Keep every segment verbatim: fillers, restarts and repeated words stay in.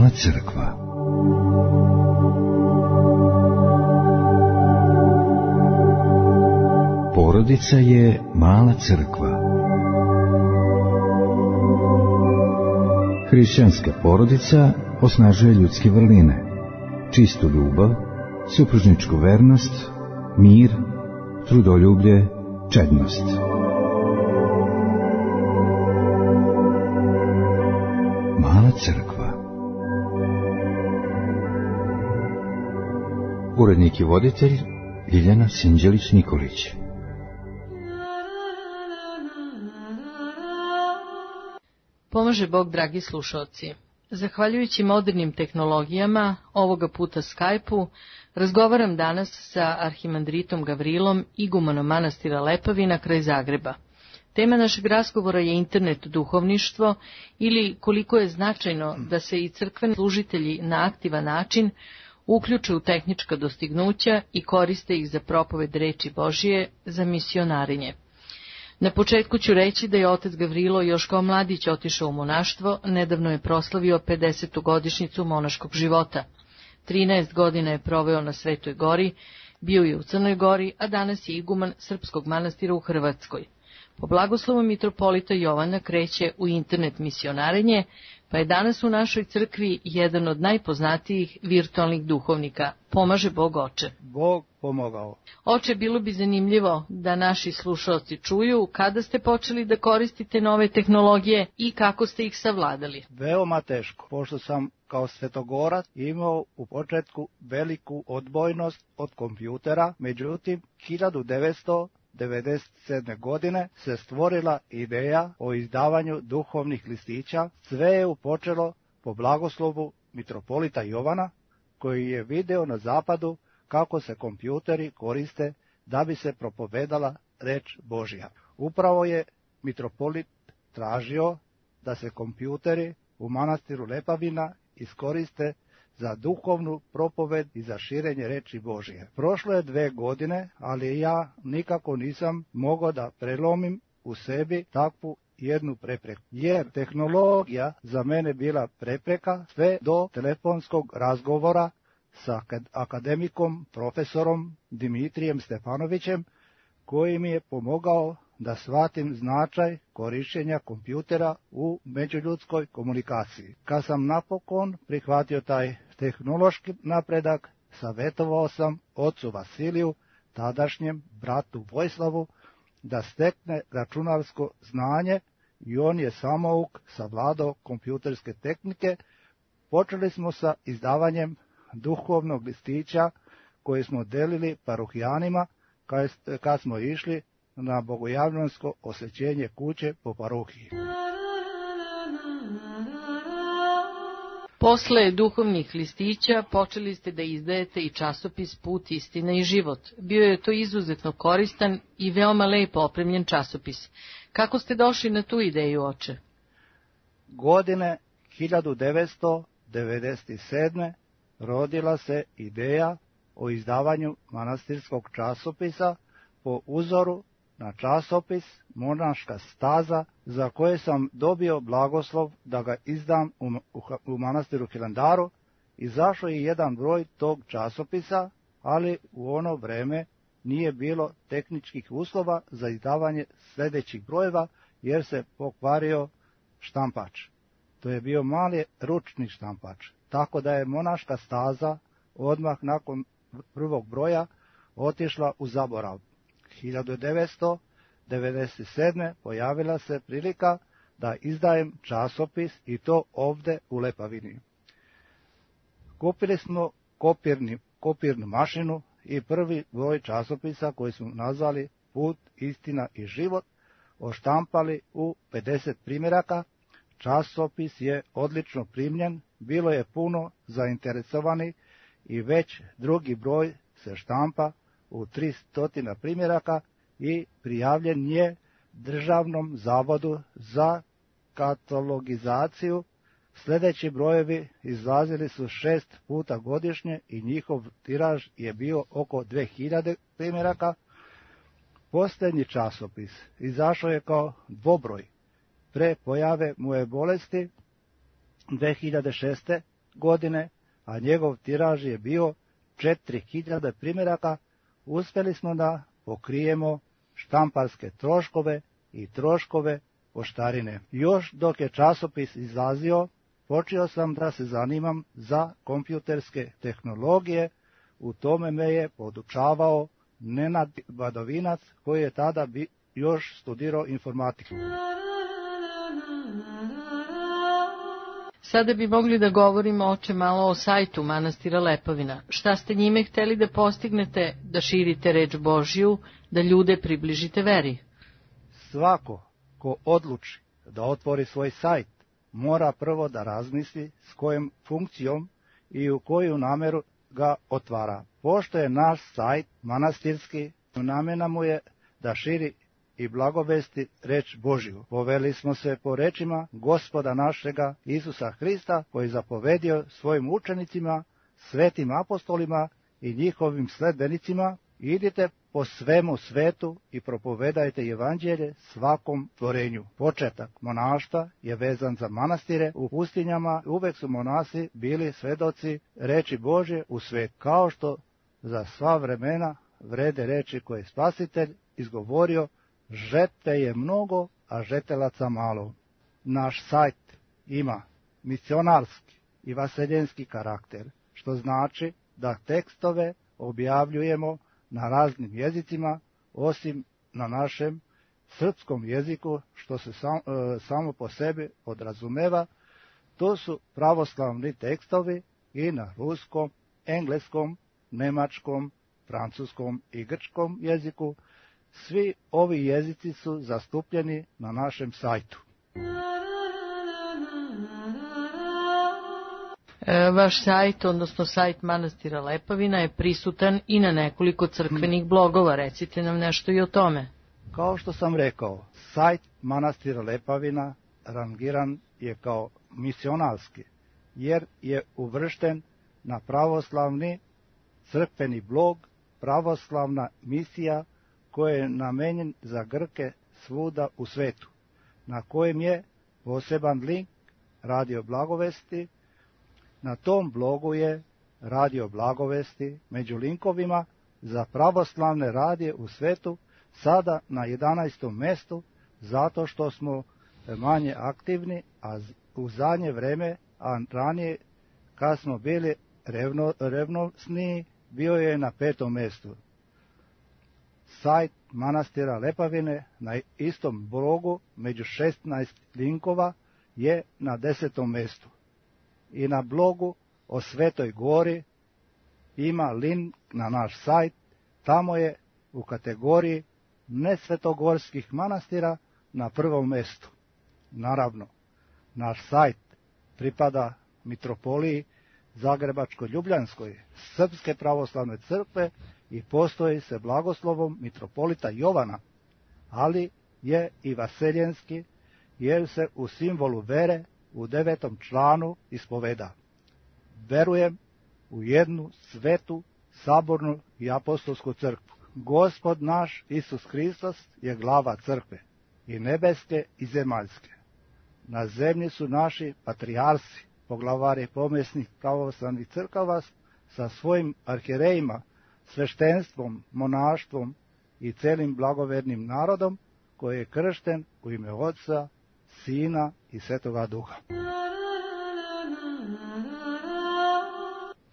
Mala crkva. Porodica je mala crkva. Hrišćanska porodica osnažuje ljudske vrline, čistu ljubav, supružničku vernost, mir, trudoljublje, čednost. Mala crkva. Urednik i voditelj Ljiljana Sinđelić-Nikolić. Pomaže Bog, dragi slušalci. Zahvaljujući modernim tehnologijama, ovoga puta Skype-u, razgovaram danas sa arhimandritom Gavrilom, igumanom manastira Lepavina kraj Zagreba. Tema našeg razgovora je internet duhovništvo ili koliko je značajno da se i crkveni služitelji na aktivan način uključe u tehnička dostignuća i koriste ih za propoved reči Božije, za misionarenje. Na početku ću reći da je otac Gavrilo još kao mladić otišao u monaštvo, nedavno je proslavio pedesetu godišnjicu monaškog života. trinaest godina je proveo na Svetoj gori, bio je u Crnoj Gori, a danas je iguman srpskog manastira u Hrvatskoj. Po blagoslovu mitropolita Jovana kreće u internet misionarenje, pa je danas u našoj crkvi jedan od najpoznatijih virtualnih duhovnika. Pomaže Bog, oče. Bog pomogao. Oče, bilo bi zanimljivo da naši slušalci čuju kada ste počeli da koristite nove tehnologije i kako ste ih savladali. Veoma teško, pošto sam kao svetogorac imao u početku veliku odbojnost od kompjutera, međutim hiljadu devetsto devedeset sedme. godine se stvorila ideja o izdavanju duhovnih listića. Sve je upočelo po blagoslovu mitropolita Jovana, koji je video na zapadu kako se kompjuteri koriste da bi se propovedala reč Božja. Upravo je mitropolit tražio da se kompjuteri u manastiru Lepavina iskoriste za duhovnu propoved i za širenje reči Božije. Prošlo je dve godine, ali ja nikako nisam mogao da prelomim u sebi takvu jednu prepreku, jer tehnologija za mene bila prepreka sve do telefonskog razgovora sa akademikom, profesorom Dimitrijem Stefanovićem, koji mi je pomogao da shvatim značaj korišćenja kompjutera u međuljudskoj komunikaciji. Kad sam napokon prihvatio taj tehnološki napredak, savjetovao sam ocu Vasiliju, tadašnjem bratu Vojslavu, da stekne računarsko znanje i on je samouk savladao kompjuterske tehnike. Počeli smo sa izdavanjem duhovnog listića koji smo delili parohijanima kad smo išli na bogojavljansko osvećenje kuće po parohiji. Posle duhovnih listića počeli ste da izdajete i časopis Put, istina i život. Bio je to izuzetno koristan i veoma lepo opremljen časopis. Kako ste došli na tu ideju, oče? Godine hiljadu devetsto devedeset sedme. rodila se ideja o izdavanju manastirskog časopisa po uzoru na časopis Monaška staza, za koje sam dobio blagoslov da ga izdam u, u, u manastiru Hilandaru. Izašao je jedan broj tog časopisa, ali u ono vreme nije bilo tehničkih uslova za izdavanje sljedećih brojeva, jer se pokvario štampač. To je bio mali ručni štampač, tako da je Monaška staza odmah nakon prvog broja otišla u zaborav. hiljadu devetsto devedeset sedme. pojavila se prilika da izdajem časopis, i to ovde u Lepavini. Kupili smo kopirni, kopirnu mašinu i prvi broj časopisa koji smo nazvali Put, istina i život oštampali u pedeset primjeraka. Časopis je odlično primljen, bilo je puno zainteresovani i već drugi broj se štampa u tristo primjeraka i prijavljen je Državnom zavodu za katalogizaciju. Sljedeći brojevi izlazili su šest puta godišnje i njihov tiraž je bio oko dve hiljade primjeraka. Posljednji časopis izašao je kao dvobroj. Pre pojave moje bolesti dve hiljade šeste. godine, a njegov tiraž je bio četiri hiljade primjeraka, uspjeli smo da pokrijemo štamparske troškove i troškove poštarine. Još dok je časopis izlazio, počeo sam da se zanimam za kompjuterske tehnologije. U tome me je podučavao Nenad Badovinac, koji je tada bi još studirao informatiku. Sada bi mogli da govorimo, oče, malo o sajtu manastira Lepovina. Šta ste njime hteli da postignete, da širite reč Božju, da ljude približite veri? Svako ko odluči da otvori svoj sajt, mora prvo da razmisli s kojom funkcijom i u koju namjeru ga otvara. Pošto je naš sajt manastirski, namjena mu je da širi i blagovesti reč Božju. Poveli smo se po rečima Gospoda našega Isusa Hrista, koji zapovedio svojim učenicima, svetim apostolima i njihovim sledbenicima: idite po svemu svetu i propovedajte evanđelje svakom tvorenju. Početak monaštva je vezan za manastire. U pustinjama uvek su monasi bili svedoci reči Božje u svet, kao što za sva vremena vrede reči koje je Spasitelj izgovorio: žetve je mnogo, a žetelaca malo. Naš sajt ima misionarski i vaseljenski karakter, što znači da tekstove objavljujemo na raznim jezicima, osim na našem srpskom jeziku, što se sam, e, samo po sebi podrazumeva. To su pravoslavni tekstovi i na ruskom, engleskom, nemačkom, francuskom i grčkom jeziku. Svi ovi jezici su zastupljeni na našem sajtu. Vaš sajt, odnosno sajt manastira Lepovina, je prisutan i na nekoliko crkvenih blogova. Recite nam nešto i o tome. Kao što sam rekao, sajt manastira Lepovina rangiran je kao misionarski, jer je uvršten na pravoslavni crkveni blog Pravoslavna misija, koji je namenjen za Grke svuda u svetu, na kojem je poseban link Radio Blagovesti. Na tom blogu je Radio Blagovesti među linkovima za pravoslavne radije u svetu sada na jedanaestom mestu, zato što smo manje aktivni, a u zadnje vreme, a ranije kad smo bili revno, revnosniji, bio je na petom mestu. Sajt manastira Lepovine na istom blogu među šesnaest linkova je na desetom mestu. I na blogu o Svetoj Gori ima link na naš sajt. Tamo je u kategoriji nesvetogorskih manastira na prvom mestu. Naravno, naš sajt pripada mitropoliji Zagrebačko-Ljubljanskoj Srpske pravoslavne crkve i postoji se blagoslovom mitropolita Jovana, ali je i vaseljenski, jer se u simbolu vere u devetom članu ispoveda: verujem u jednu svetu, sabornu i apostolsku crkvu. Gospod naš Isus Hristos je glava crkve, i nebeske i zemaljske. Na zemlji su naši patrijarsi, poglavari pomjesnih pravoslavnih crkava sa svojim arhierejima, sveštenstvom, monaštvom i celim blagovernim narodom, koji je kršten u ime Otca, Sina i Svetoga Duha.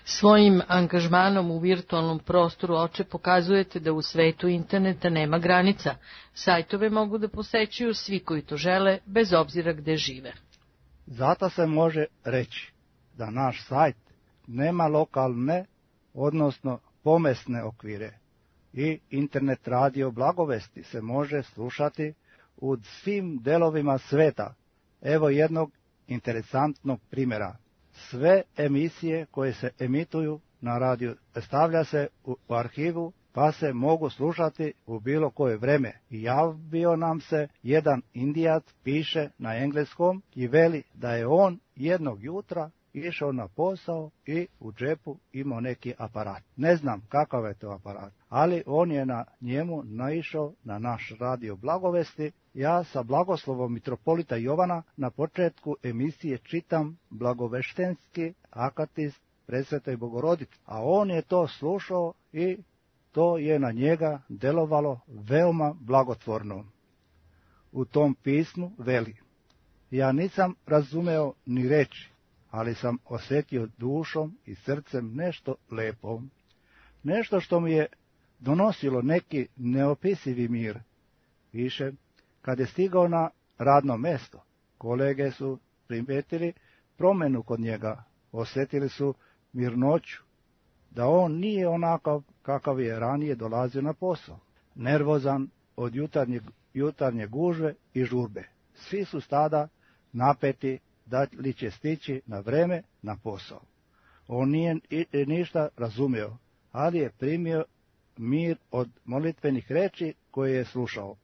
Svojim angažmanom u virtualnom prostoru, oče, pokazujete da u svetu interneta nema granica. Sajtove mogu da posećuju svi koji to žele, bez obzira gde žive. Zato se može reći da naš sajt nema lokalne, odnosno pomesne okvire, i internet radio Blagovesti se može slušati u svim delovima sveta. Evo jednog interesantnog primjera. Sve emisije koje se emituju na radiju stavlja se u arhivu, pa se mogu slušati u bilo koje vreme. I javio nam se jedan Indijac, piše na engleskom i veli da je on jednog jutra išao na posao i u džepu imao neki aparat. Ne znam kakav je to aparat, ali on je na njemu naišao na naš radio Blagovesti. Ja sa blagoslovom mitropolita Jovana na početku emisije čitam blagoveštenski akatist Presvetoj Bogorodici, a on je to slušao i to je na njega delovalo veoma blagotvorno. U tom pismu veli: ja nisam razumeo ni reči, ali sam osjetio dušom i srcem nešto lepo, nešto što mi je donosilo neki neopisivi mir. Piše, kad je stigao na radno mesto, kolege su primetili promjenu kod njega, osjetili su mirnoću, da on nije onakav kakav je ranije dolazio na posao, nervozan od jutarnje, jutarnje gužve i žurbe. Svi su tada napeti da li će stići na vreme na posao. On nije ništa razumio, ali je primio mir od molitvenih reči koje je slušao.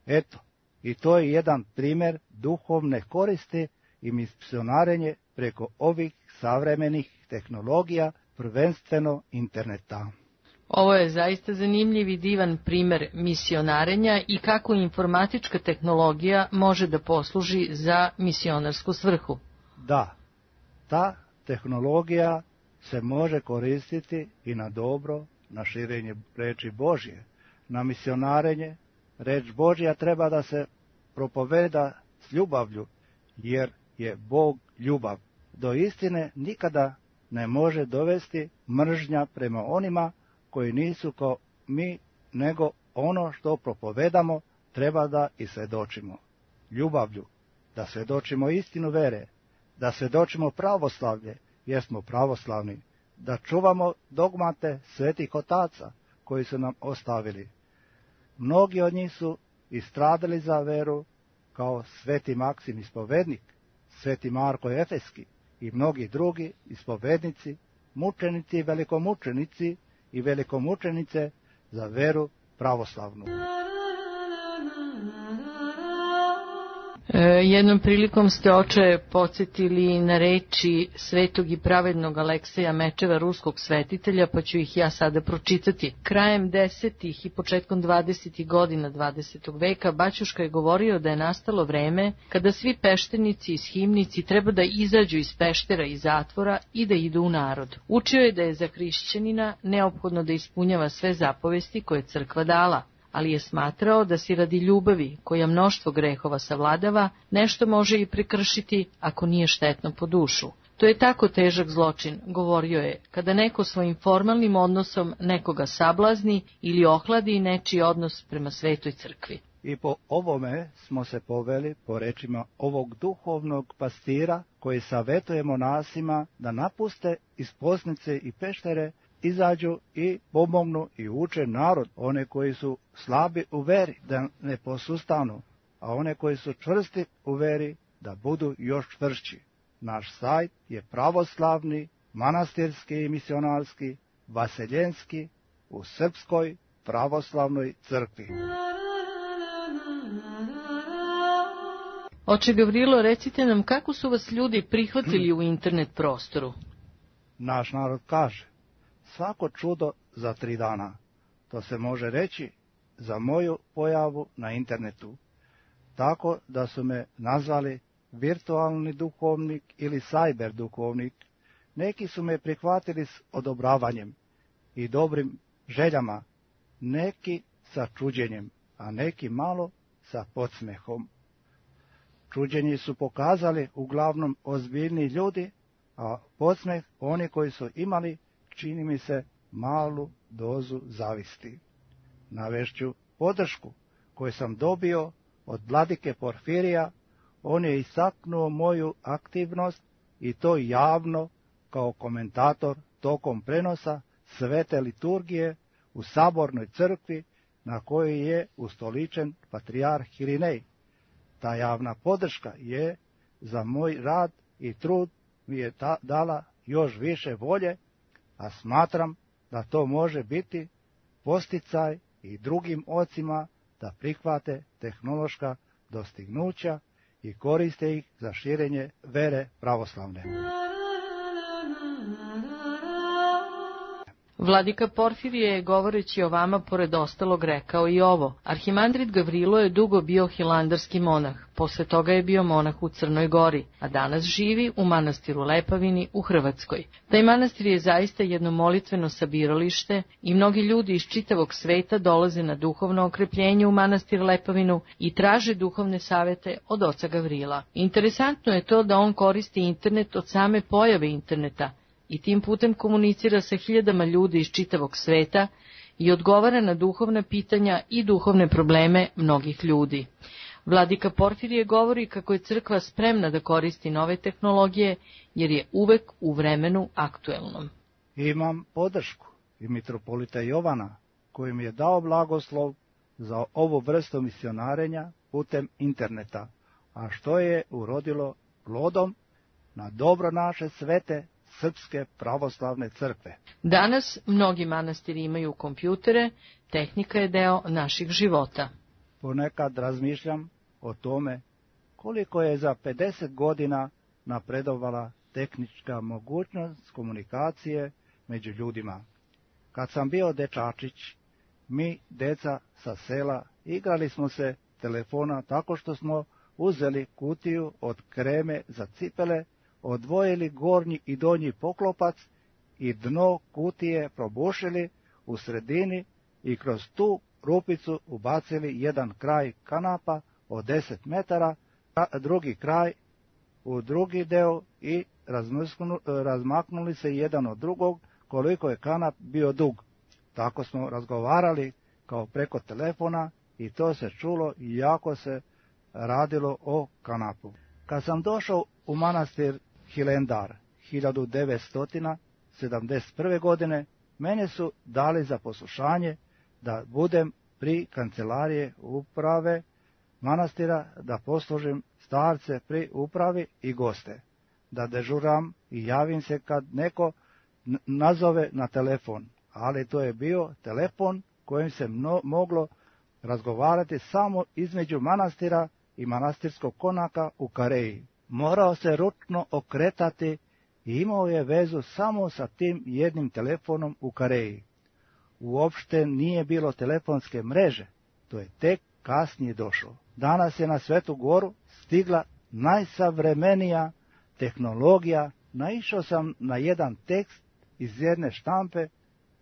Eto, i to je jedan primjer duhovne koristi i misionarenje preko ovih savremenih tehnologija, prvenstveno interneta. Ovo je zaista zanimljiv i divan primjer misionarenja i kako informatička tehnologija može da posluži za misionarsku svrhu. Da, ta tehnologija se može koristiti i na dobro, na širenje reči Božje, na misionarenje. Reč Božja treba da se propoveda s ljubavlju, jer je Bog ljubav. Do istine nikada ne može dovesti mržnja prema onima koji nisu kao mi, nego ono što propovedamo treba da i svedočimo. Ljubavlju, da svedočimo istinu vere, da svedočimo pravoslavlje, jer smo pravoslavni, da čuvamo dogmate svetih otaca koji su nam ostavili. Mnogi od njih su istradali za veru, kao sveti Maksim ispovednik, sveti Marko Efeski i mnogi drugi ispovednici, mučenici i velikomučenici i velikomučenice za veru pravoslavnu. E, jednom prilikom ste, oče, podsjetili na reči svetog i pravednog Alekseja Mečeva, ruskog svetitelja, pa ću ih ja sada pročitati. Krajem desetih i početkom dvadesetih godina dvadesetog veka Baćuška je govorio da je nastalo vreme kada svi peštenici i shimnici treba da izađu iz peštera i zatvora i da idu u narod. Učio je da je za hrišćanina neophodno da ispunjava sve zapovesti koje je crkva dala, ali je smatrao da si radi ljubavi, koja mnoštvo grehova savladava, nešto može i prekršiti ako nije štetno po dušu. To je tako težak zločin, govorio je, kada neko svojim formalnim odnosom nekoga sablazni ili ohladi nečiji odnos prema svetoj crkvi. I po ovome smo se poveli po rečima ovog duhovnog pastira koji savetuje monasima da napuste iz poznice i peštere, izađu i pomognu i uče narod, one koji su slabi u veri da ne posustanu, a one koji su čvrsti u veri da budu još čvršći. Naš sajt je pravoslavni, manastirski i misionarski, vaseljenski u Srpskoj pravoslavnoj crkvi. Oče Gavrilo, recite nam kako su vas ljudi prihvatili u internet prostoru? Naš narod kaže, svako čudo za tri dana. To se može reći za moju pojavu na internetu. Tako da su me nazvali virtualni duhovnik ili cyber duhovnik. Neki su me prihvatili s odobravanjem i dobrim željama, neki sa čuđenjem, a neki malo sa podsmehom. Čuđenje su pokazali uglavnom ozbiljni ljudi, a podsmeh oni koji su imali, čini mi se, malu dozu zavisti. Navešću podršku koju sam dobio od vladike Porfirija. On je istaknuo moju aktivnost i to javno kao komentator tokom prenosa svete liturgije u sabornoj crkvi na kojoj je ustoličen patrijarh Irinej. Ta javna podrška je za moj rad i trud mi je ta dala još više volje, a smatram da to može biti posticaj i drugim ocima da prihvate tehnološka dostignuća i koriste ih za širenje vere pravoslavne. Vladika Porfirije je, govoreći o vama, pored ostalog rekao i ovo. Arhimandrit Gavrilo je dugo bio hilandarski monah, posle toga je bio monah u Crnoj Gori, a danas živi u manastiru Lepavini u Hrvatskoj. Taj manastir je zaista jedno molitveno sabiralište i mnogi ljudi iz čitavog sveta dolaze na duhovno okrepljenje u manastir Lepavinu i traže duhovne savete od oca Gavrila. Interesantno je to da on koristi internet od same pojave interneta i tim putem komunicira sa hiljadama ljudi iz čitavog sveta i odgovara na duhovna pitanja i duhovne probleme mnogih ljudi. Vladika Porfirije govori kako je crkva spremna da koristi nove tehnologije, jer je uvek u vremenu aktuelnom. Imam podršku i mitropolita Jovana, koji mi je dao blagoslov za ovu vrstu misionarenja putem interneta, a što je urodilo plodom na dobro naše svete Srpske pravoslavne crkve. Danas mnogi manastiri imaju kompjutere, tehnika je deo naših života. Ponekad razmišljam o tome koliko je za pedeset godina napredovala tehnička mogućnost komunikacije među ljudima. Kad sam bio dečačić, mi, deca sa sela, igrali smo se telefona tako što smo uzeli kutiju od kreme za cipele, odvojili gornji i donji poklopac i dno kutije probušili u sredini i kroz tu rupicu ubacili jedan kraj kanapa od deset metara, a drugi kraj u drugi deo i razmaknuli se jedan od drugog koliko je kanap bio dug. Tako smo razgovarali kao preko telefona i to se čulo i jako se radilo o kanapu. Kad sam došao u manastir Hilendar hiljadu devetsto sedamdeset prve. godine, mene su dali za poslušanje da budem pri kancelarije uprave manastira, da poslužim starce pri upravi i goste, da dežuram i javim se kad neko nazove na telefon, ali to je bio telefon kojim se mno, moglo razgovarati samo između manastira i manastirskog konaka u Kareji. Morao se ručno okretati i imao je vezu samo sa tim jednim telefonom u Kareji. Uopšte nije bilo telefonske mreže, to je tek kasnije došlo. Danas je na Svetu Goru stigla najsavremenija tehnologija. Naišao sam na jedan tekst iz jedne štampe,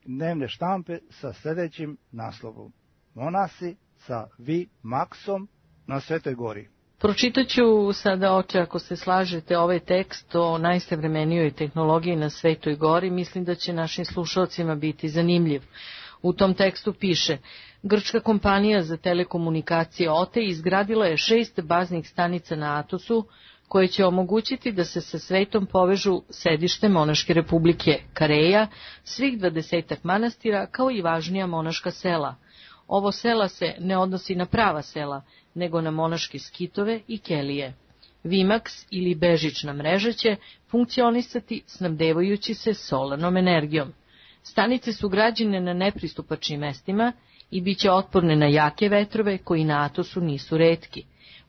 dnevne štampe sa sljedećim naslovom: Monasi sa Vi Maxom na Svetoj Gori. Pročitat ću sada, oče, ako se slažete, ovaj tekst o najsavremenijoj tehnologiji na Svetoj Gori. Mislim da će našim slušalcima biti zanimljiv. U tom tekstu piše: grčka kompanija za telekomunikacije O T E izgradila je šest baznih stanica na Atosu, koje će omogućiti da se sa svetom povežu sedište monaške republike Kareja, svih dvadesetak manastira, kao i važnija monaška sela. Ovo sela se ne odnosi na prava sela, nego na monaške skitove i kelije. Vimax ili bežična mreža će funkcionisati snabdevajući se solarnom energijom. Stanice su građene na nepristupačnim mestima i bit će otporne na jake vetrove koji na Atosu nisu retki.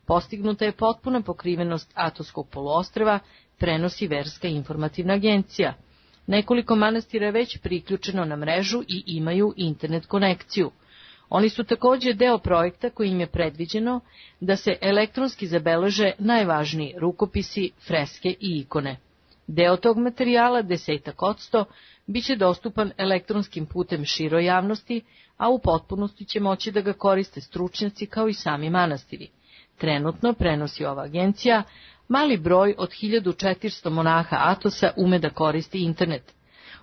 Postignuta je potpuna pokrivenost Atoskog poluostrva, prenosi Verska informativna agencija. Nekoliko manastira je već priključeno na mrežu i imaju internet konekciju. Oni su također deo projekta kojim je predviđeno da se elektronski zabeleže najvažniji rukopisi, freske i ikone. Deo tog materijala, desetak odsto, bit će dostupan elektronskim putem široj javnosti, a u potpunosti će moći da ga koriste stručnjaci kao i sami manastiri. Trenutno, prenosi ova agencija, mali broj od hiljadu četiristo monaha Atosa ume da koristi internet.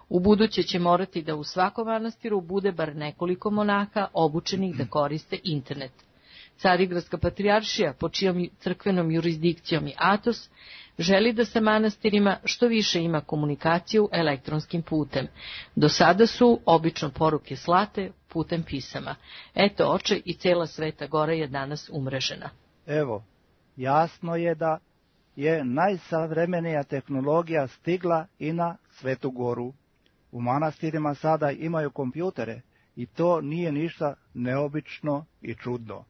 U buduće će morati da u svakom manastiru bude bar nekoliko monaha obučenih da koriste internet. Carigradska patrijaršija, pod čijom crkvenom jurisdikcijom i Atos, želi da sa manastirima što više ima komunikaciju elektronskim putem. Do sada su obično poruke slate putem pisama. Eto, oče, i cela Sveta Gora je danas umrežena. Evo, jasno je da je najsavremenija tehnologija stigla i na Svetu Goru. U manastirima sada imaju kompjutere i to nije ništa neobično i čudno.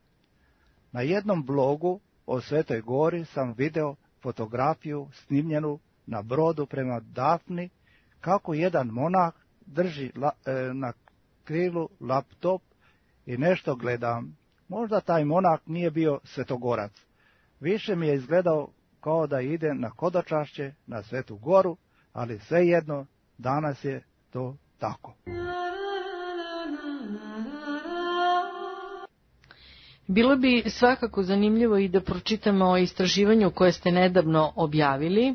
Na jednom blogu o Svetoj Gori sam video fotografiju snimljenu na brodu prema Dafni, kako jedan monah drži la, e, na krilu laptop i nešto gledam. Možda taj monak nije bio svetogorac. Više mi je izgledao kao da ide na hodočašće na Svetu Goru, ali svejedno danas je to tako. Bilo bi svakako zanimljivo i da pročitamo o istraživanju koje ste nedavno objavili,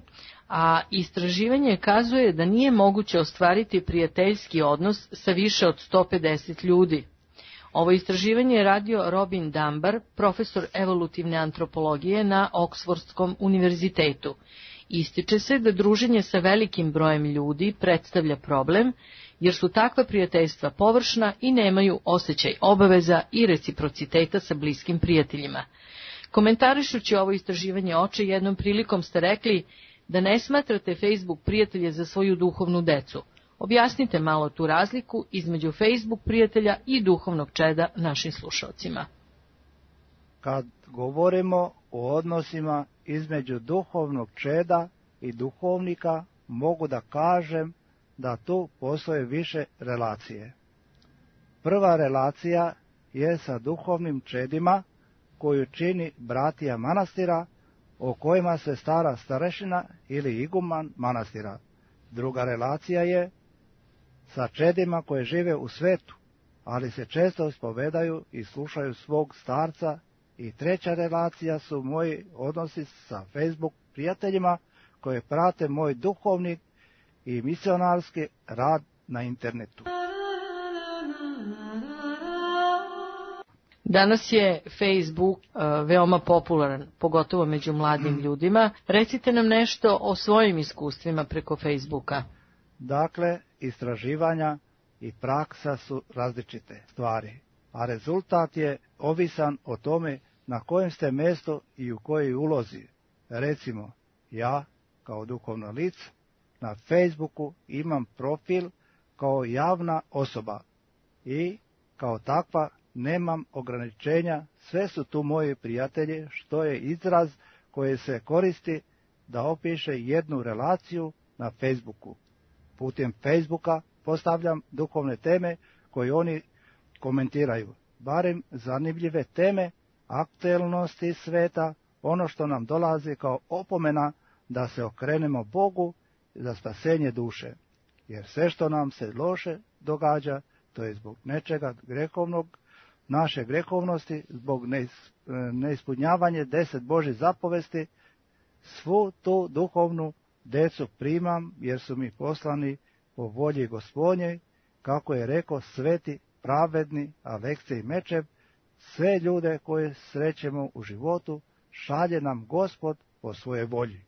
a istraživanje kazuje da nije moguće ostvariti prijateljski odnos sa više od sto pedeset ljudi. Ovo istraživanje je radio Robin Dunbar, profesor evolutivne antropologije na Oksfordskom univerzitetu. Ističe se da druženje sa velikim brojem ljudi predstavlja problem, jer su takva prijateljstva površna i nemaju osjećaj obaveza i reciprociteta sa bliskim prijateljima. Komentarišući ovo istraživanje oče, jednom prilikom ste rekli da ne smatrate Facebook prijatelje za svoju duhovnu decu. Objasnite malo tu razliku između Facebook prijatelja i duhovnog čeda našim slušalcima. Kad govorimo o odnosima između duhovnog čeda i duhovnika, mogu da kažem da tu postoje više relacije. Prva relacija je sa duhovnim čedima koju čini bratija manastira, o kojima se stara starešina ili iguman manastira. Druga relacija je sa čedima koje žive u svetu, ali se često ispovedaju i slušaju svog starca. I treća relacija su moji odnosi sa Facebook prijateljima koje prate moj duhovni i misionarski rad na internetu. Danas je Facebook uh, veoma popularan, pogotovo među mladim mm. ljudima. Recite nam nešto o svojim iskustvima preko Facebooka. Dakle, istraživanja i praksa su različite stvari, a rezultat je ovisan o tome na kojem ste mjestu i u kojoj ulozi. Recimo, ja, kao duhovno lice, na Facebooku imam profil kao javna osoba i kao takva nemam ograničenja, sve su tu moji prijatelji, što je izraz koji se koristi da opiše jednu relaciju na Facebooku. Putem Facebooka postavljam duhovne teme koje oni komentiraju, barem zanimljive teme, aktuelnosti sveta, ono što nam dolazi kao opomena da se okrenemo Bogu za spasenje duše. Jer sve što nam se loše događa, to je zbog nečega grehovnog, naše grehovnosti, zbog neispunjavanja deset Božjih zapovesti, svu tu duhovnu decu primam, jer su mi poslani po volji Gospodnje, kako je rekao sveti, pravedni, Aleksej Mečev, sve ljude koje srećemo u životu, šalje nam Gospod po svoje volji.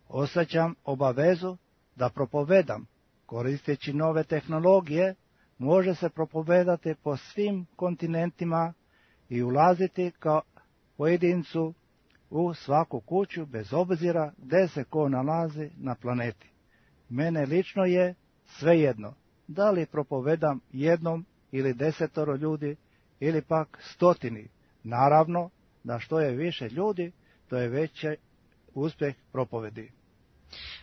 Osjećam obavezu da propovedam, koristeći nove tehnologije, može se propovedati po svim kontinentima i ulaziti kao pojedincu u svaku kuću, bez obzira gdje se ko nalazi na planeti. Mene lično je svejedno, da li propovedam jednom ili desetoro ljudi, ili pak stotini. Naravno, da što je više ljudi, to je veći uspjeh propovedi.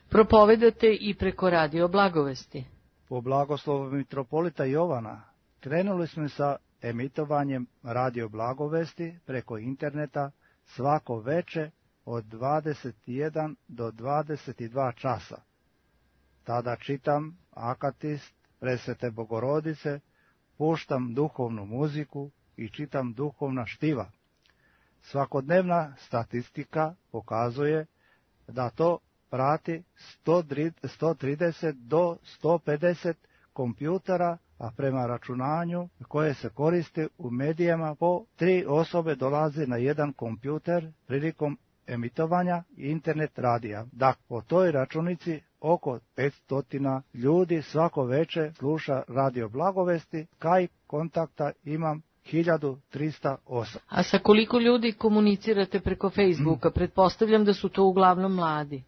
Propovedate i preko radio blagovesti. Po blagoslovu mitropolita Jovana krenuli smo sa emitovanjem radio blagovesti preko interneta svako veče od dvadeset jedan do dvadeset dva časa. Tada čitam akatist Presvete Bogorodice, puštam duhovnu muziku i čitam duhovna štiva. Svakodnevna statistika pokazuje da to prati sto trideset do sto pedeset kompjutera, a prema računanju koje se koriste u medijama po tri osobe dolazi na jedan kompjuter prilikom emitovanja internet radija. Dakle, po toj računici oko petsto ljudi svako veče sluša radio blagovesti, kaj kontakta imam hiljadu trista osam. A sa koliko ljudi komunicirate preko Facebooka? Pretpostavljam da su to uglavnom mladi.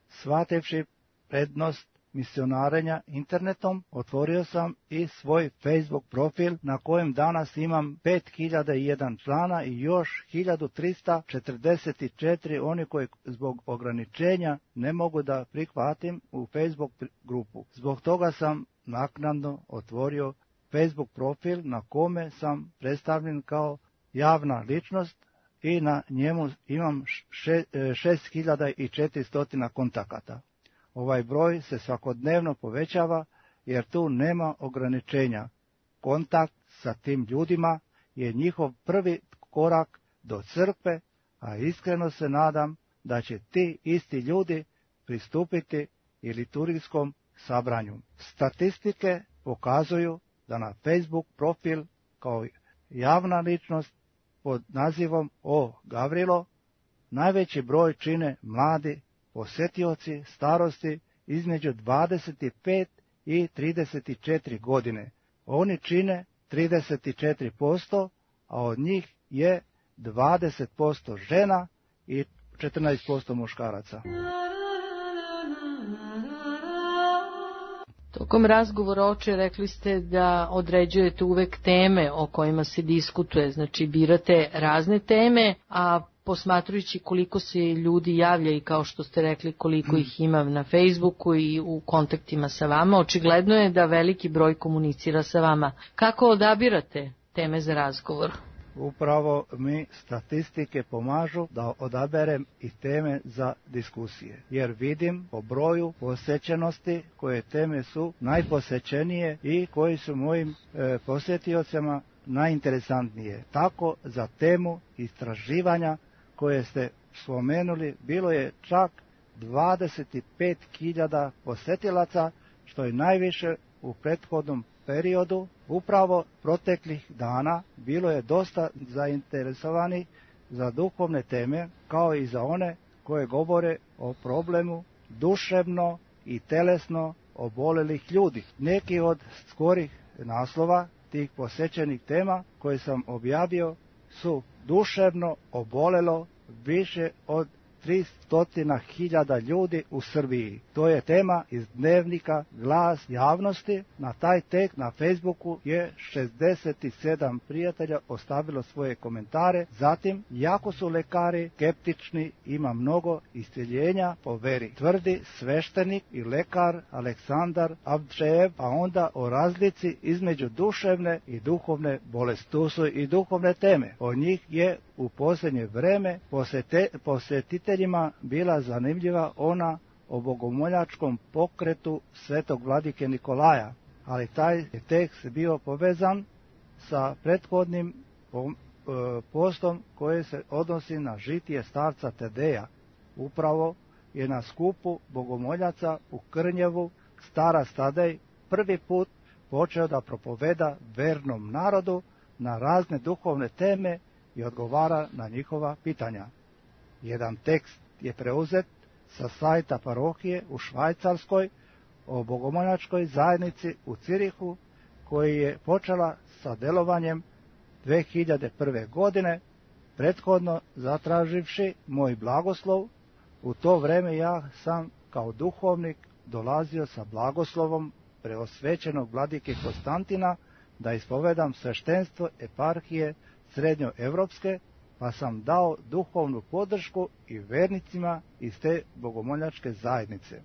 Shvativši prednost misionarenja internetom otvorio sam i svoj Facebook profil na kojem danas imam pet hiljada jedan člana i još hiljadu trista četrdeset četiri oni koji zbog ograničenja ne mogu da prihvatim u Facebook grupu. Zbog toga sam naknadno otvorio Facebook profil na kome sam predstavljen kao javna ličnost i na njemu imam šest hiljada četiristo kontakata. Ovaj broj se svakodnevno povećava jer tu nema ograničenja. Kontakt sa tim ljudima je njihov prvi korak do crkve, a iskreno se nadam da će ti isti ljudi pristupiti i liturgijskom sabranju. Statistike pokazuju da na Facebook profil kao javna ličnost pod nazivom O. Gavrilo najveći broj čine mladi posetioci starosti između dvadeset pet i trideset četiri godine. Oni čine trideset četiri posto, a od njih je dvadeset posto žena i četrnaest posto muškaraca. Tokom razgovora, oče, rekli ste da određujete uvek teme o kojima se diskutuje, znači birate razne teme, a posmatrujući koliko se ljudi javlja i kao što ste rekli koliko ih ima na Facebooku i u kontaktima sa vama, očigledno je da veliki broj komunicira sa vama. Kako odabirate teme za razgovor? Upravo mi statistike pomažu da odaberem i teme za diskusije, jer vidim po broju posjećenosti koje teme su najposećenije i koji su mojim e, posjetiocama najinteresantnije. Tako za temu istraživanja koje ste spomenuli bilo je čak dvadeset pet hiljada posjetilaca, što je najviše u prethodnom periodu. Upravo proteklih dana bilo je dosta zainteresovani za duhovne teme, kao i za one koje govore o problemu duševno i telesno obolelih ljudi. Neki od skorih naslova tih posjećenih tema koje sam objavio su duševno obolelo više od tristo hiljada ljudi u Srbiji. To je tema iz dnevnika Glas javnosti. Na taj tek na Facebooku je šezdeset sedam prijatelja ostavilo svoje komentare. Zatim, jako su lekari skeptični, ima mnogo isceljenja po veri, tvrdi sveštenik i lekar Aleksandar Avdžejev, a onda o razlici između duševne i duhovne bolesti. Tu su i duhovne teme. O njih je u posljednje vreme posete, posjetiteljima bila zanimljiva ona o bogomoljačkom pokretu svetog vladike Nikolaja, ali taj je tekst bio povezan sa prethodnim postom koje se odnosi na žitije starca Tadeja. Upravo je na skupu bogomoljaca u Krnjevu starac Tadej prvi put počeo da propoveda vernom narodu na razne duhovne teme i odgovara na njihova pitanja. Jedan tekst je preuzet sa sajta parohije u Švajcarskoj o bogomoljačkoj zajednici u Cirihu, koji je počela sa delovanjem dve hiljade prve. godine, prethodno zatraživši moj blagoslov. U to vreme ja sam kao duhovnik dolazio sa blagoslovom preosvećenog vladike Konstantina da ispovedam sveštenstvo eparhije srednjoevropske, pa sam dao duhovnu podršku i vernicima iz te bogomoljačke zajednice.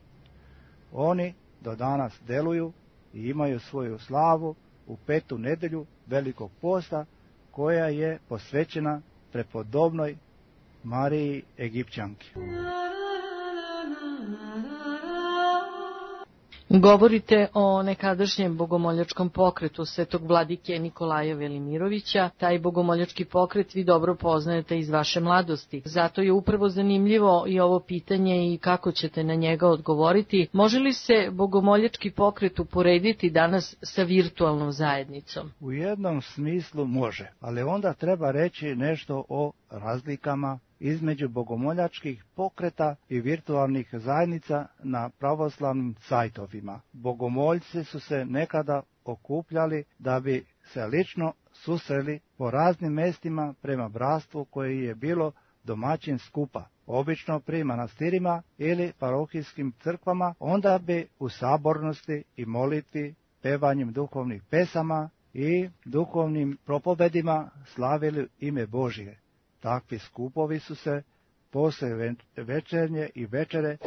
Oni do danas deluju i imaju svoju slavu u petu nedelju Velikog posta, koja je posvećena prepodobnoj Mariji Egipćanki. Govorite o nekadašnjem bogomoljačkom pokretu svetog vladike Nikolaja Velimirovića. Taj bogomoljački pokret vi dobro poznajete iz vaše mladosti. Zato je upravo zanimljivo i ovo pitanje i kako ćete na njega odgovoriti. Može li se bogomoljački pokret uporediti danas sa virtualnom zajednicom? U jednom smislu može, ali onda treba reći nešto o razlikama između bogomoljačkih pokreta i virtualnih zajednica na pravoslavnim sajtovima. Bogomoljci su se nekada okupljali da bi se lično susreli po raznim mestima prema bratstvu koje je bilo domaćin skupa. obično pri manastirima ili parohijskim crkvama, onda bi u sabornosti i molitvi, pevanjem duhovnih pesama i duhovnim propovedima slavili ime Božje. Takvi skupovi su se poslije večernje i večere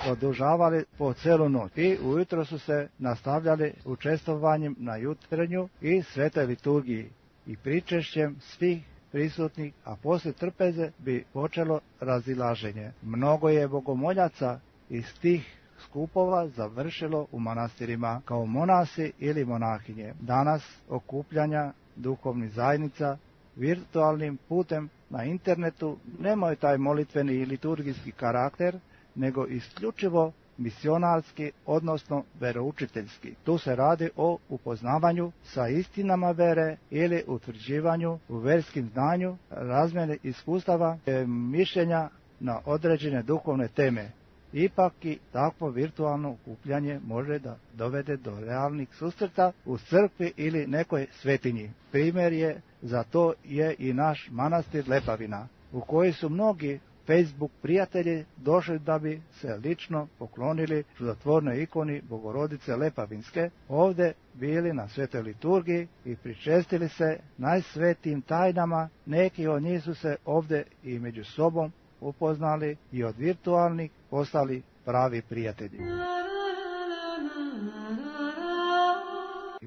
produžavali po celu noć i ujutro su se nastavljali učestvovanjem na jutrenju i svetoj liturgiji i pričešćem svih prisutnih, a poslije trpeze bi počelo razilaženje. Mnogo je bogomoljaca iz tih skupova završilo u manastirima kao monasi ili monahinje. Danas okupljanja duhovnih zajednica virtualnim putem na internetu nemaju taj molitveni i liturgijski karakter, nego isključivo misionarski, odnosno veroučiteljski. Tu se radi o upoznavanju sa istinama vere ili utvrđivanju u verskim znanju, razmjene iskustava i mišljenja na određene duhovne teme. Ipak i takvo virtualno okupljanje može da dovede do realnih susreta u crkvi ili nekoj svetinji. Primjer je za to je i naš manastir Lepavina, u koji su mnogi Facebook prijatelji došli da bi se lično poklonili čudotvornoj ikoni Bogorodice Lepavinske, ovdje bili na svetoj liturgiji i pričestili se najsvetijim tajnama. Neki od njih su se ovdje i među sobom upoznali i od virtualnih postali pravi prijatelji.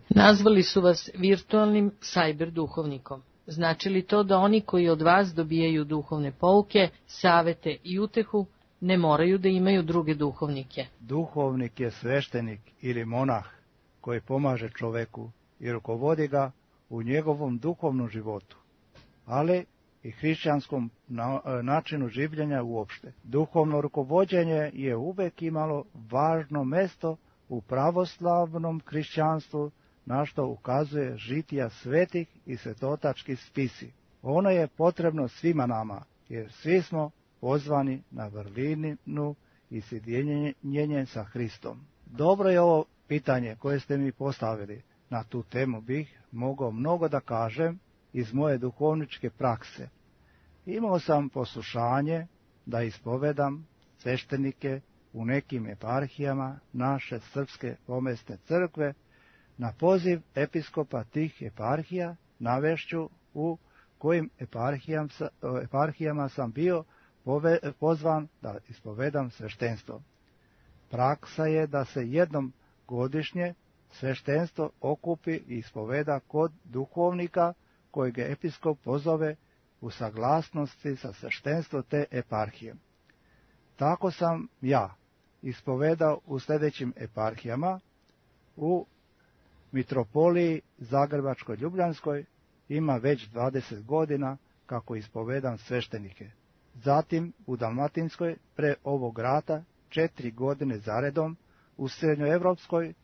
Nazvali su vas virtualnim sajber duhovnikom. Znači li to da oni koji od vas dobijaju duhovne pouke, savete i utehu, ne moraju da imaju druge duhovnike? Duhovnik je sveštenik ili monah koji pomaže čoveku i rukovodi ga u njegovom duhovnom životu, ali i hrišćanskom načinu življenja uopšte. Duhovno rukovođenje je uvek imalo važno mesto u pravoslavnom hrišćanstvu, na što ukazuje žitija svetih i svetotački spisi. Ono je potrebno svima nama, jer svi smo pozvani na vrlinu i sjedinjenje sa Hristom. Dobro je ovo pitanje koje ste mi postavili. Na tu temu bih mogao mnogo da kažem iz moje duhovničke prakse. Imao sam poslušanje da ispovedam sveštenike u nekim eparhijama naše srpske pomesne crkve. Na poziv episkopa tih eparhija navešću u kojim eparhijama, eparhijama sam bio pove, pozvan da ispovedam sveštenstvo. Praksa je da se jednom godišnje sveštenstvo okupi i ispoveda kod duhovnika kojeg episkop pozove u saglasnosti sa sveštenstvo te eparhije. Tako sam ja ispovedao u sljedećim eparhijama: u mitropoliji Zagrebačko-Ljubljanskoj ima već dvadeset godina kako ispovedam sveštenike. Zatim u Dalmatinskoj pre ovog rata četiri godine zaredom, u Srednjoevropskoj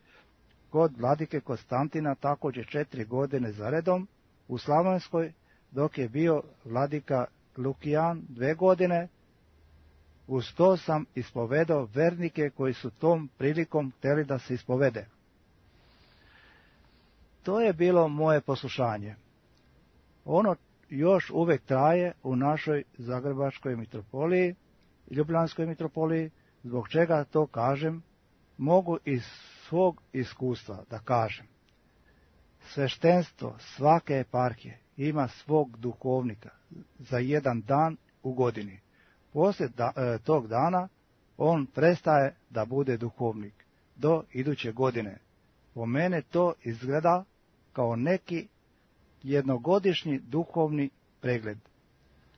kod vladike Konstantina također četiri godine zaredom, u Slavonskoj dok je bio vladika Lukijan dve godine. Uz to sam ispovedao vernike koji su tom prilikom htjeli da se ispovede. To je bilo moje poslušanje. Ono još uvek traje u našoj Zagrebačkoj mitropoliji, Ljubljanskoj mitropoliji. Zbog čega to kažem? Mogu iz svog iskustva da kažem. Sveštenstvo svake eparhije ima svog duhovnika za jedan dan u godini. Poslije da, e, tog dana on prestaje da bude duhovnik do iduće godine. Po mene to izgleda kao neki jednogodišnji duhovni pregled.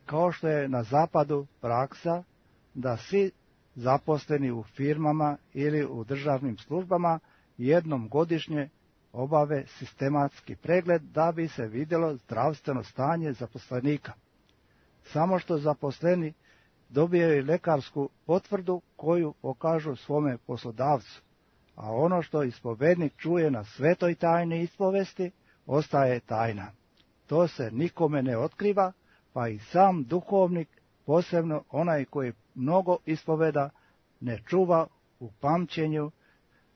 Kao što je na zapadu praksa da svi zaposleni u firmama ili u državnim službama jednom godišnje obave sistematski pregled da bi se vidjelo zdravstveno stanje zaposlenika. Samo što zaposleni dobijaju lekarsku potvrdu koju pokažu svome poslodavcu, a ono što ispovednik čuje na svetoj tajni ispovesti ostaje tajna. To se nikome ne otkriva, pa i sam duhovnik, posebno onaj koji mnogo ispoveda, ne čuva u pamćenju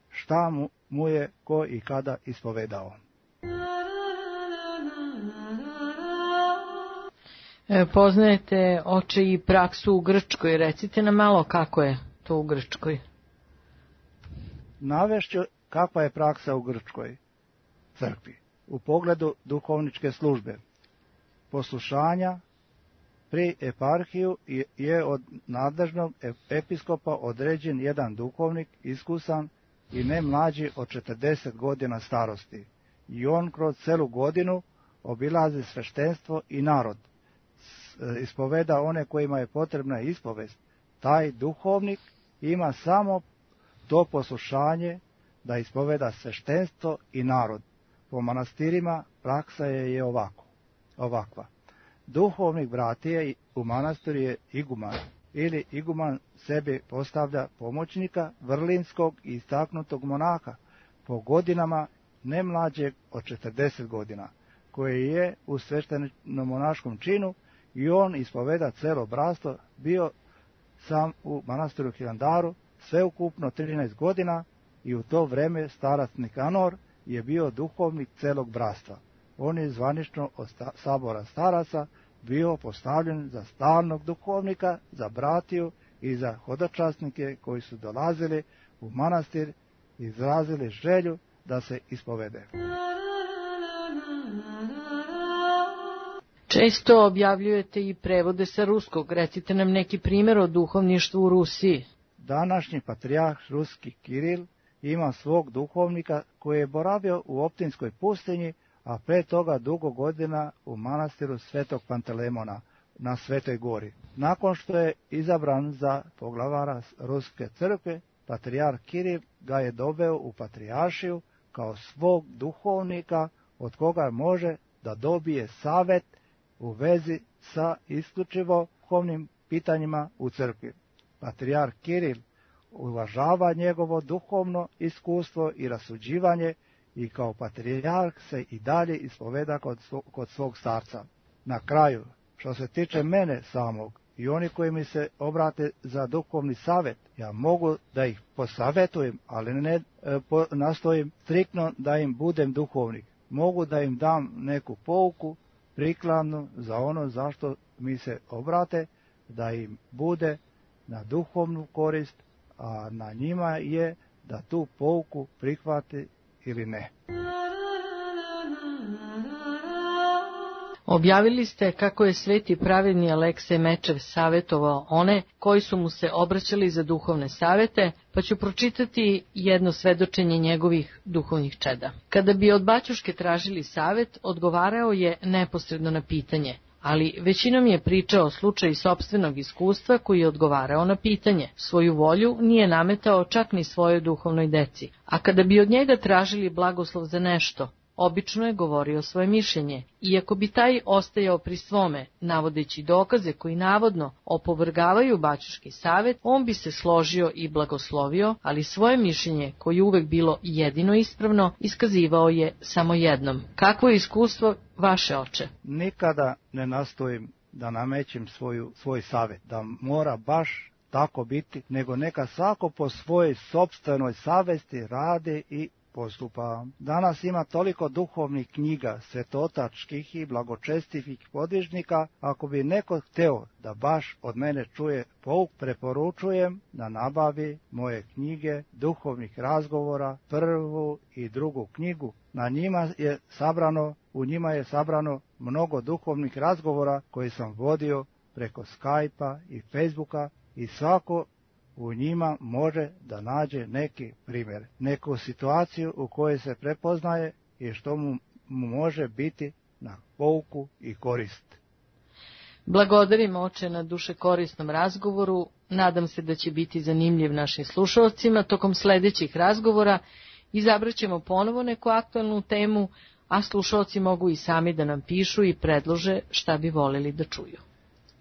šta mu, mu je ko i kada ispovedao. E, poznajete, oče, i praksu u Grčkoj. Recite nam malo kako je to u Grčkoj. Navešću kakva je praksa u Grčkoj crkvi u pogledu duhovničke službe. Poslušanja pri eparhiju je od nadležnog episkopa određen jedan duhovnik iskusan i ne mlađi od četrdeset godina starosti. I on kroz celu godinu obilazi sveštenstvo i narod. Ispoveda one kojima je potrebna ispovest. Taj duhovnik ima samo to poslušanje da ispoveda sveštenstvo i narod. Po manastirima praksa je, je ovako, ovakva. Duhovnik bratije u manastiru je iguman, ili iguman sebi postavlja pomoćnika vrlinskog i istaknutog monaha po godinama ne mlađeg od četrdeset godina, koji je u sveštenom monaškom činu i on ispoveda celo bratstvo, bio sam u manastiru Hilandaru sveukupno trinaest godina i u to vreme starac Nikanor je bio duhovnik celog bratstva. On je zvanično od sabora staraca bio postavljen za stalnog duhovnika, za bratiju i za hodočasnike koji su dolazili u manastir i izrazili želju da se ispovede. Često objavljujete i prevode sa ruskog. Recite nam neki primjer o duhovništvu u Rusiji. Današnji patrijarh ruski Kiril ima svog duhovnika koji je boravio u Optinskoj pustinji, a pre toga dugo godina u manastiru Svetog Pantelemona na Svetoj gori. Nakon što je izabran za poglavara Ruske crkve, patrijarh Kiril ga je doveo u patrijaršiju kao svog duhovnika od koga može da dobije savet u vezi sa isključivo duhovnim pitanjima u crkvi. Patrijarh Kiril uvažava njegovo duhovno iskustvo i rasuđivanje i kao patrijarh se i dalje ispoveda kod, kod svog starca. Na kraju, što se tiče mene samog i oni koji mi se obrate za duhovni savet, ja mogu da ih posavetujem, ali ne e, po, nastojim striktno da im budem duhovnik. Mogu da im dam neku pouku prikladnu za ono zašto mi se obrate, da im bude na duhovnu korist, a na njima je da tu pouku prihvati ili ne. Objavili ste kako je sveti pravedni Aleksej Mečev savjetovao one koji su mu se obraćali za duhovne savete, pa ću pročitati jedno svedočenje njegovih duhovnih čeda. Kada bi od baćuške tražili savet, odgovarao je neposredno na pitanje, ali većinom je pričao o slučaju sopstvenog iskustva koji je odgovarao na pitanje. Svoju volju nije nametao čak ni svojoj duhovnoj deci, a kada bi od njega tražili blagoslov za nešto, obično je govorio svoje mišljenje, iako bi taj ostajao pri svome, navodeći dokaze koji navodno opovrgavaju baćuški savet, on bi se složio i blagoslovio, ali svoje mišljenje, koje je uvek bilo jedino ispravno, iskazivao je samo jednom. Kakvo je iskustvo vaše, oče? Nikada ne nastojim da namećem svoju, svoj savet, da mora baš tako biti, nego neka svako po svojoj sopstvenoj savesti radi i postupa. Danas ima toliko duhovnih knjiga, svetotačkih i blagočestivih podvižnika, ako bi neko hteo da baš od mene čuje pouk, preporučujem da nabavi moje knjige duhovnih razgovora, prvu i drugu knjigu. Na njima je sabrano, u njima je sabrano mnogo duhovnih razgovora koje sam vodio preko Skype-a i Facebooka i svako u njima može da nađe neki primjer, neku situaciju u kojoj se prepoznaje i što mu, mu može biti na pouku i korist. Blagodarim, oče, na duše korisnom razgovoru. Nadam se da će biti zanimljiv našim slušalcima. Tokom sledećih razgovora izabraćemo ponovo neku aktualnu temu, a slušalci mogu i sami da nam pišu i predlože šta bi voleli da čuju.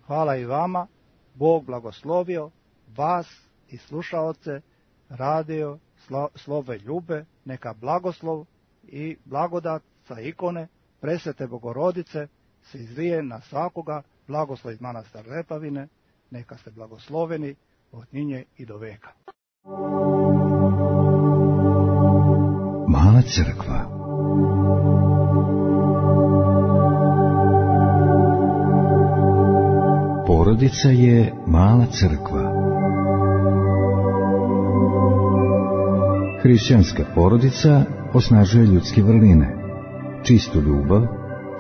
Hvala i vama, Bog blagoslovio vas i slušaoce radio slo, Slove Ljube, neka blagoslov i blagodat sa ikone Presvete Bogorodice se izlije na svakoga, blagoslov iz manastira Lepavine, neka ste blagosloveni od njinje i do veka. Mala crkva. porodica je mala crkva. Hrišćanska porodica osnažuje ljudske vrline, čistu ljubav,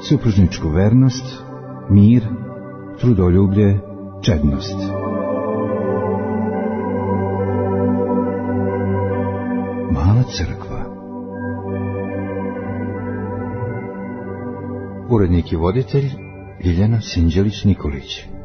supružničku vernost, mir, trudoljublje, čednost. Mala crkva. Urednik i voditelj Ljiljana Sinđelić Nikolić.